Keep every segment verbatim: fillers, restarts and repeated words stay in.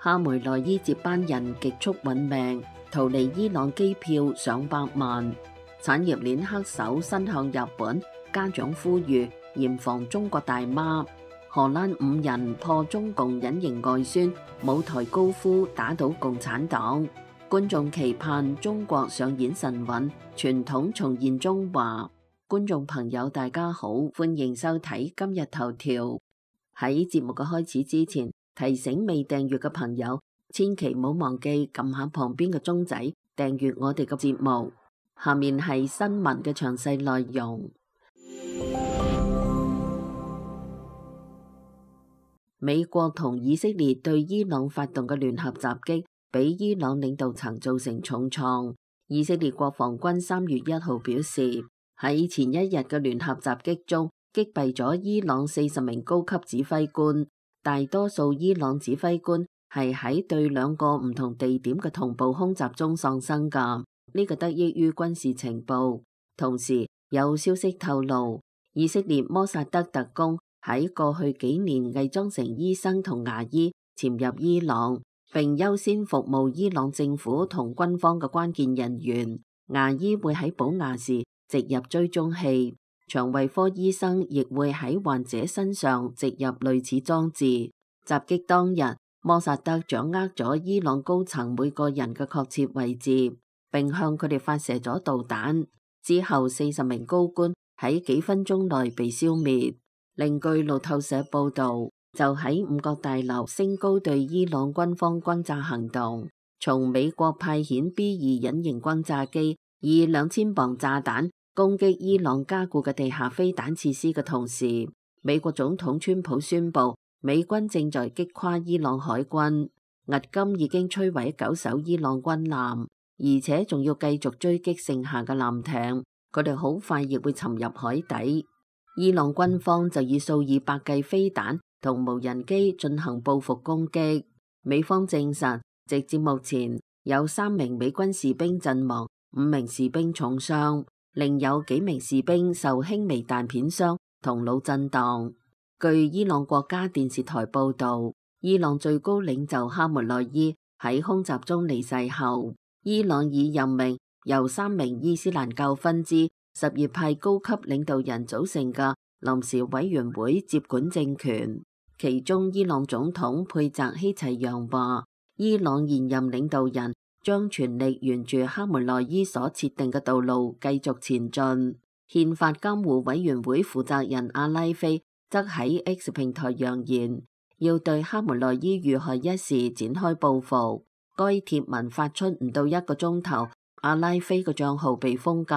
哈梅內伊接班人極速殞命，逃離伊朗機票上百萬。產業鏈黑手伸向日本，家長呼籲嚴防中國大媽。荷蘭五人破中共隱形外宣，舞台高呼打倒共產黨。觀眾期盼中國上演神韻，傳統重現中華。觀眾朋友大家好，歡迎收睇今日頭條。喺節目嘅開始之前，提醒未訂閱嘅朋友，千祈唔好忘記撳下旁邊嘅鐘仔，訂閱我哋嘅節目。下面係新聞嘅詳細內容。美國同以色列對伊朗發動嘅聯合襲擊，俾伊朗領導層造成重創。以色列國防軍三月一號表示，喺前一日嘅聯合襲擊中，擊斃咗伊朗四十名高級指揮官。大多數伊朗指揮官係喺對兩個唔同地點嘅同步空襲中喪生噶。呢個得益於軍事情報。同時有消息透露，以色列摩薩德特工喺過去幾年偽裝成醫生同牙醫潛入伊朗，並優先服務伊朗政府同軍方嘅關鍵人員。牙醫會喺補牙時植入追蹤器，腸胃科醫生亦會喺患者身上植入類似裝置。襲擊當日，摩薩德掌握咗伊朗高層每個人嘅確切位置，並向佢哋發射咗導彈。之後四十名高官喺幾分鐘內被消滅。另據路透社報道，就喺五角大樓升高對伊朗軍方轟炸行動，從美國派遣 B 二隱形轟炸機以兩千磅炸彈攻擊伊朗加固嘅地下飛彈設施嘅同時，美國總統川普宣布美軍正在擊垮伊朗海軍，迄今已經摧毀九艘伊朗軍艦，而且仲要繼續追擊剩下嘅艦艇，佢哋好快亦會沉入海底。伊朗軍方就以數以百計飛彈同無人機進行報復攻擊。美方證實，直至目前有三名美軍士兵陣亡，五名士兵重傷，另有幾名士兵受輕微彈片傷同腦震盪。據伊朗國家電視台報道，伊朗最高領袖哈梅內伊喺空襲中離世後，伊朗已任命由三名伊斯蘭教分支什葉派高級領導人組成嘅臨時委員會接管政權。其中，伊朗總統佩澤希齊揚話，伊朗現任領導人將全力沿住哈梅內伊所設定嘅道路繼續前進。憲法監護委員會負責人阿拉菲則喺 X 平台揚言，要對哈梅內伊遇害一事展開報復。該帖文發出唔到一個鐘頭，阿拉菲嘅賬號被封禁。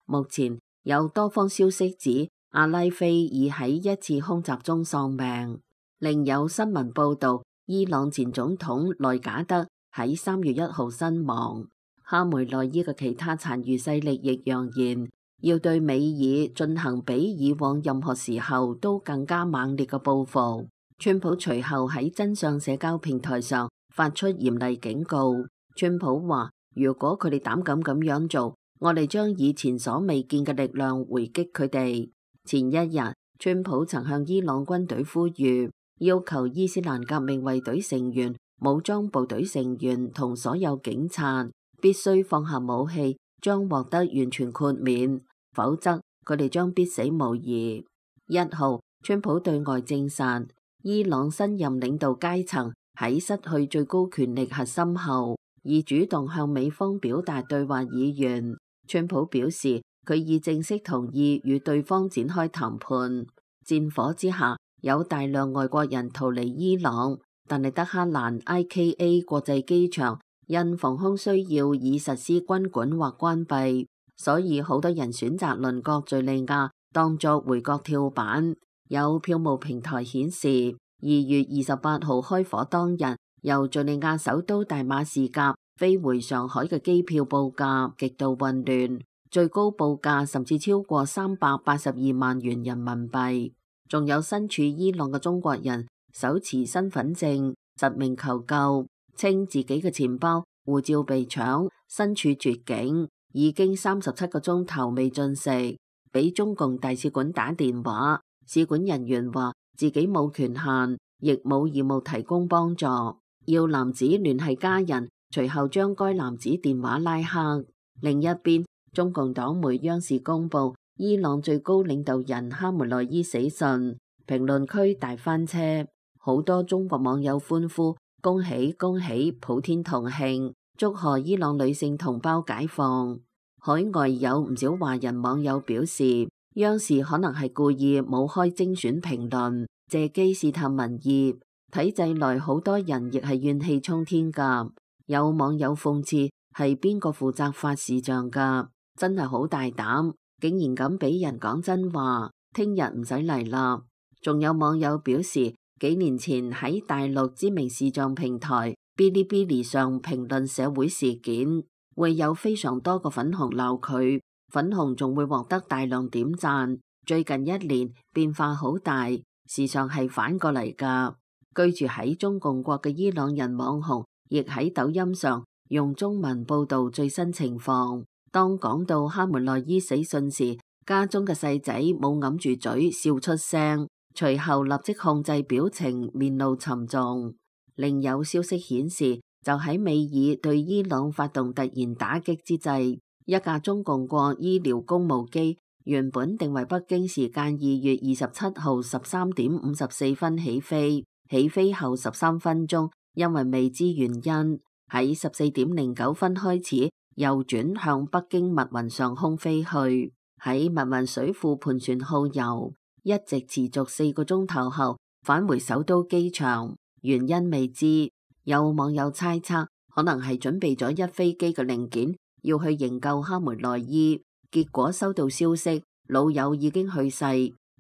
目前有多方消息指阿拉菲已喺一次空襲中喪命。另有新聞報道，伊朗前總統內賈德喺三月一號身亡。哈梅內伊嘅其他殘餘勢力亦揚言，要對美爾進行比以往任何時候都更加猛烈嘅報復。川普隨後喺真相社交平台上發出嚴厲警告。川普話，如果佢哋膽敢咁樣做，我哋將以前所未見嘅力量回擊佢哋。前一日，川普曾向伊朗軍隊呼籲，要求伊斯蘭革命衛隊成員、武裝部隊成員同所有警察必須放下武器，將獲得完全豁免，否則佢哋將必死無疑。一號，川普對外證實，伊朗新任領導階層喺失去最高權力核心後，已主動向美方表達對話意願。川普表示，佢已正式同意與對方展開談判。戰火之下，有大量外國人逃離伊朗，但係德黑蘭 I K A 國際機場因防空需要已實施軍管或關閉，所以好多人選擇鄰國敘利亞當作回國跳板。有票務平台顯示，二月二十八號開火當日，由敘利亞首都大馬士革飛回上海嘅機票報價極度混亂，最高報價甚至超過三百八十二萬元人民幣。仲有身處伊朗嘅中國人手持身份證實名求救，稱自己嘅錢包、護照被搶，身處絕境，已經三十七個鐘頭未進食，俾中共大使館打電話，使館人員話自己冇權限，亦冇義務提供幫助。二要男子聯繫家人，隨後將該男子電話拉黑。另一邊，中共黨媒央視公布伊朗最高領導人哈梅內伊死訊，評論區大翻車，好多中國網友歡呼，恭喜恭喜，普天同慶，祝賀伊朗女性同胞解放。海外有唔少華人網友表示，央視可能係故意冇開精選評論，借機試探民意。體制內好多人亦係怨氣沖天㗎。有網友諷刺，係邊個負責發視像㗎？真係好大膽，竟然敢俾人講真話，聽日唔使嚟啦。仲有網友表示，幾年前喺大陸知名視像平台嗶哩嗶哩上評論社會事件，會有非常多個粉紅鬧佢，粉紅仲會獲得大量點讚。最近一年變化好大，時常係反過嚟㗎。居住喺中共國嘅伊朗人網紅，亦喺抖音上用中文報導最新情況。當講到哈梅內伊死訊時，家中嘅細仔冇揞住嘴笑出聲，隨後立即控制表情，面露沉重。另有消息顯示，就喺美爾對伊朗發動突然打擊之際，一架中共國醫療公務機原本定為北京時間二月二十七號十三點五十四分起飛，起飛後十三分鐘，因為未知原因，喺十四點零九分開始右轉向北京密雲上空飛去，喺密雲水庫盤旋耗油，一直持續四個鐘頭後返回首都機場，原因未知。有網友猜測，可能係準備咗一飛機嘅零件要去營救哈梅內伊，結果收到消息老友已經去世，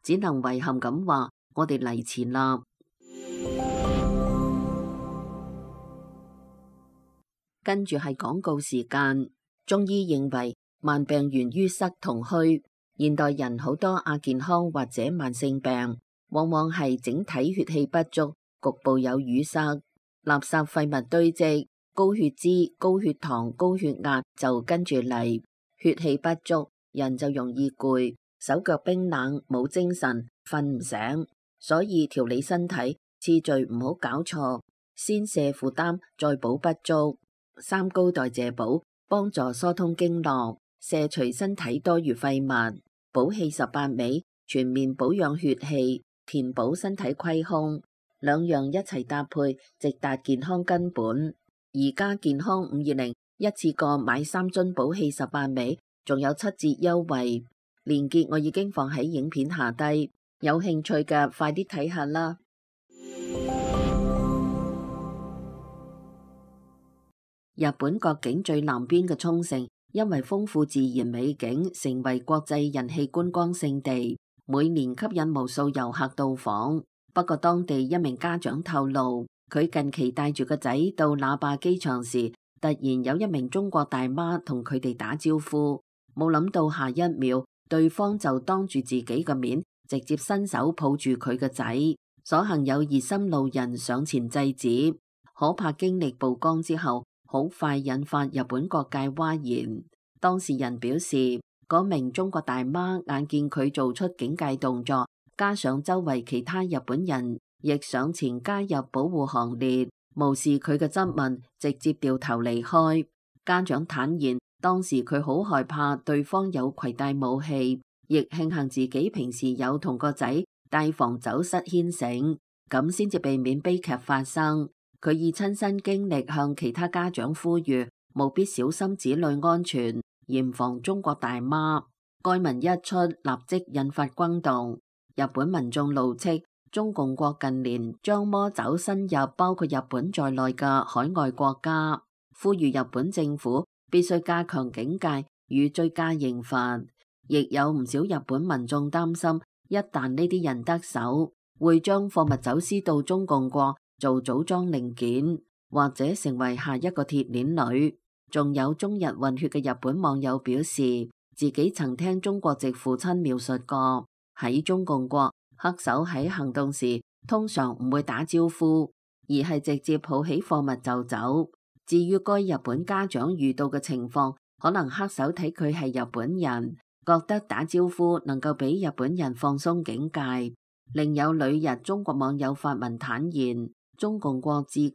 只能遺憾咁話我哋嚟遲啦。跟住係廣告時間。中醫認為慢病源於塞同虛，現代人好多亞健康或者慢性病，往往係整體血氣不足，局部有淤塞，垃圾廢物堆積，高血脂、高血糖、高血壓就跟住嚟。血氣不足，人就容易攰，手腳冰冷，冇精神，瞓唔醒。所以調理身體次序唔好搞錯，先瀉負擔，再補不足。三高代謝補幫助疏通經絡，卸除身體多餘廢物。補氣十八味全面保養血氣，填補身體虧空，兩樣一齊搭配，直達健康根本。而家健康五二零一次過買三樽補氣十八味，仲有七折優惠，鏈接我已經放喺影片下低，有興趣嘅快啲睇下啦。日本國境最南邊嘅沖繩，因為豐富自然美景，成為國際人氣觀光勝地，每年吸引無數遊客到訪。不過當地一名家長透露，佢近期帶住個仔到那霸機場時，突然有一名中國大媽同佢哋打招呼，冇諗到下一秒，對方就當住自己嘅面，直接伸手抱住佢個仔。所幸有熱心路人上前制止。可怕經歷曝光之後，好快引發日本各界譁然。當事人表示，嗰名中國大媽眼見佢做出警戒動作，加上周圍其他日本人亦上前加入保護行列，無視佢嘅質問，直接掉頭離開。家長坦言，當時佢好害怕對方有攜帶武器，亦慶幸自己平時有同個仔帶防走失牽繩，咁先至避免悲劇發生。佢以親身經歷向其他家長呼籲，務必小心子女安全，嚴防中國大媽。該文一出，立即引發轟動。日本民眾怒斥中共國近年將魔爪伸入包括日本在內嘅海外國家，呼籲日本政府必須加強警戒與追加刑罰。亦有唔少日本民眾擔心，一旦呢啲人得手，會將貨物走私到中共國做組裝零件，或者成為下一個鐵鏈女。仲有中日混血嘅日本網友表示，自己曾聽中國籍父親描述過，喺中共國黑手喺行動時通常唔會打招呼，而係直接抱起貨物就走。至於該日本家長遇到嘅情況，可能黑手睇佢係日本人，覺得打招呼能夠俾日本人放鬆警戒。另有旅日中國網友發文坦言，中共國至今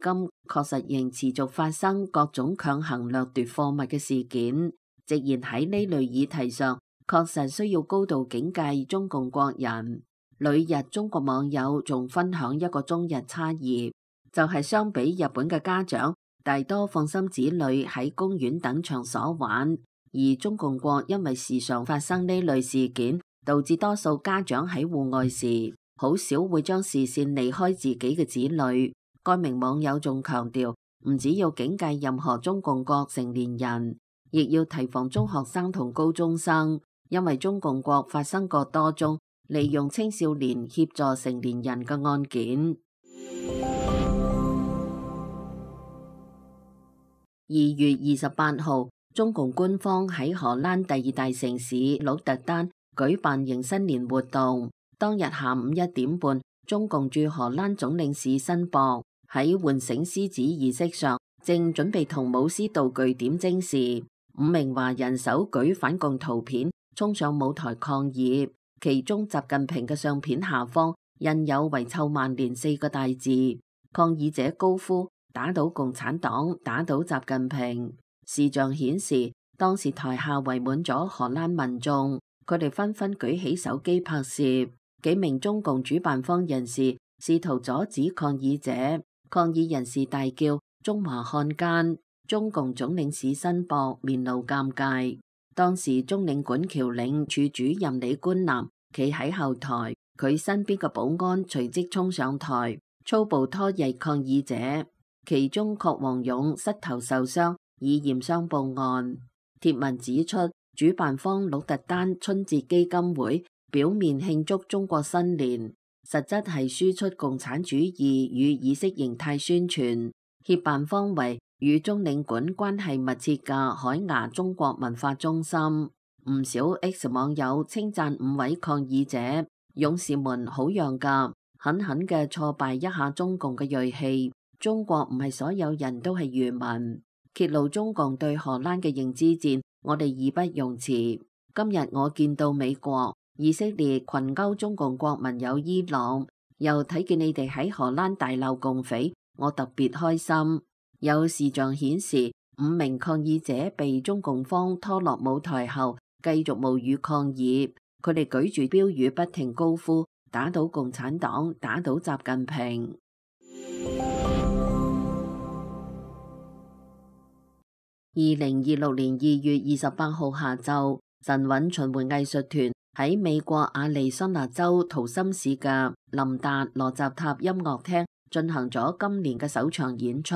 確實仍持續發生各種強行掠奪貨物嘅事件，直言喺呢類議題上，確實需要高度警戒中共國人。旅日中國網友仲分享一個中日差異，就係、是、相比日本嘅家長，大多放心子女喺公園等場所玩，而中共國因為時常發生呢類事件，導致多數家長喺戶外時，好少會將視線離開自己嘅子女。該名網友仲強調，唔只要警戒任何中共國成年人，亦要提防中學生同高中生，因為中共國發生過多宗利用青少年協助成年人嘅案件。二月二十八號，中共官方喺荷蘭第二大城市鹿特丹舉辦迎新年活動。當日下午一點半，中共駐荷蘭總領事申博喺喚醒獅子儀式上，正準備同舞獅道具點睛時，五名華人手舉反共圖片衝上舞台抗議。其中習近平嘅相片下方印有遺臭萬年四個大字，抗議者高呼打倒共產黨，打倒習近平。視像顯示當時台下圍滿咗荷蘭民眾，佢哋紛紛舉起手機拍攝。幾名中共主辦方人士試圖阻止抗議者，抗議人士大叫中華漢奸，中共總領事申博面露尷尬。當時中領館僑領處主任李冠南企喺後台，佢身邊嘅保安隨即衝上台，粗暴拖曳抗議者，其中郝王勇膝頭受傷，已驗傷報案。貼文指出，主辦方鹿特丹春節基金會表面慶祝中國新年，實質係輸出共產主義與意識形態宣傳。協辦方為與中領館關係密切嘅海牙中國文化中心。唔少 X 網友稱讚五位抗議者勇士們好樣㗎，狠狠嘅挫敗一下中共嘅銳氣。中國唔係所有人都係愚民，揭露中共對荷蘭嘅認知戰，我哋義不容辭。今日我見到美國、以色列群毆中共國民有伊朗，又睇見你哋喺荷蘭大鬧共匪，我特別開心。有視像顯示，五名抗議者被中共方拖落舞台後，繼續無語抗議。佢哋舉住標語，不停高呼打倒共產黨，打倒習近平。二零二六年二月二十八號下晝，神韻巡迴藝術團喺美國亞利桑那州圖森市嘅林達羅扎塔音樂廳進行咗今年嘅首場演出。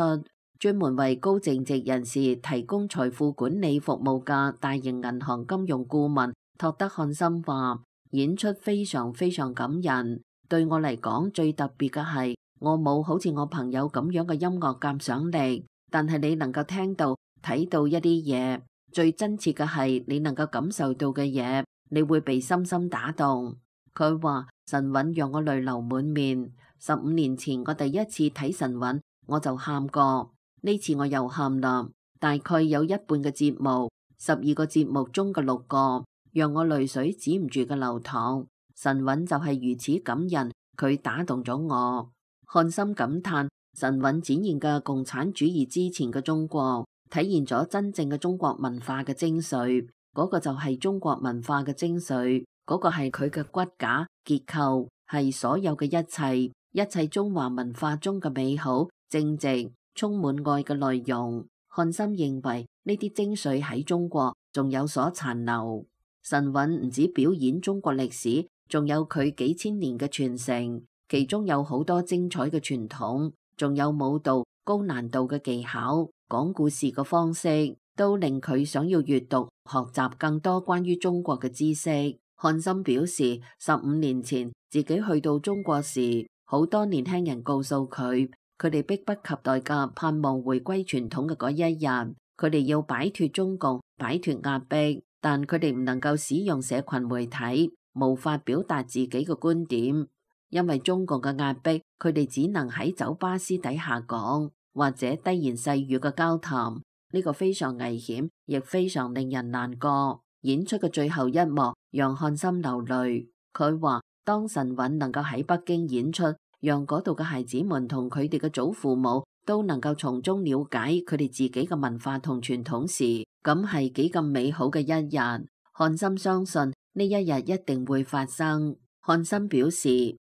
專門為高淨值人士提供財富管理服務嘅大型銀行金融顧問托德漢森話：演出非常非常感人。對我嚟講，最特別嘅係我冇好似我朋友咁樣嘅音樂鑑賞力，但係你能夠聽到、睇到一啲嘢。最真切嘅係你能夠感受到嘅嘢，你會被深深打動。佢話神韻讓我淚流滿面。十五年前我第一次睇神韻，我就喊過。呢次我又喊啦，大概有一半嘅節目，十二個節目中嘅六個，讓我淚水止唔住嘅流淌。神韻就係如此感人，佢打動咗我。漢森感嘆，神韻展現嘅共產主義之前嘅中國，體現咗真正嘅中國文化嘅精髓。嗰個就係中國文化嘅精髓，嗰個係佢嘅骨架結構，係所有嘅一切，一切中華文化中嘅美好、正直、充滿愛嘅內容。漢森認為呢啲精髓喺中國仲有所殘留。神韻唔止表演中國歷史，仲有佢幾千年嘅傳承，其中有好多精彩嘅傳統，仲有舞蹈高難度嘅技巧，講故事嘅方式，都令佢想要閱讀學習更多關於中國嘅知識。漢森表示，十五年前自己去到中國時，好多年輕人告訴佢，佢哋迫不及待嘅盼望回歸傳統嘅嗰一日，佢哋要擺脫中共，擺脫壓迫，但佢哋唔能夠使用社群媒體，無法表達自己嘅觀點，因為中共嘅壓迫，佢哋只能喺酒吧私底下講，或者低言細語嘅交談，呢個非常危險，亦非常令人難過。演出嘅最後一幕讓漢森流淚，佢話當神韻能夠喺北京演出，讓嗰度嘅孩子們同佢哋嘅祖父母都能夠從中了解佢哋自己嘅文化同傳統時，咁係幾咁美好嘅一日。漢森相信呢一日一定會發生。漢森表示，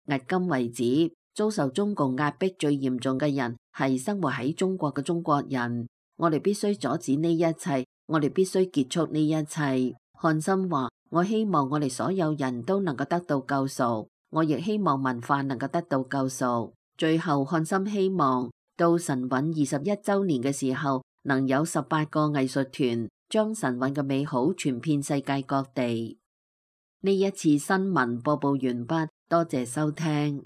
迄今為止，遭受中共壓迫最嚴重嘅人係生活喺中國嘅中國人。我哋必須阻止呢一切，我哋必須結束呢一切。漢森話：我希望我哋所有人都能夠得到救贖，我亦希望文化能夠得到救贖。最後，漢森希望到神韻二十一周年嘅時候，能有十八個藝術團將神韻嘅美好傳遍世界各地。呢一次新聞播報完畢，多謝收聽。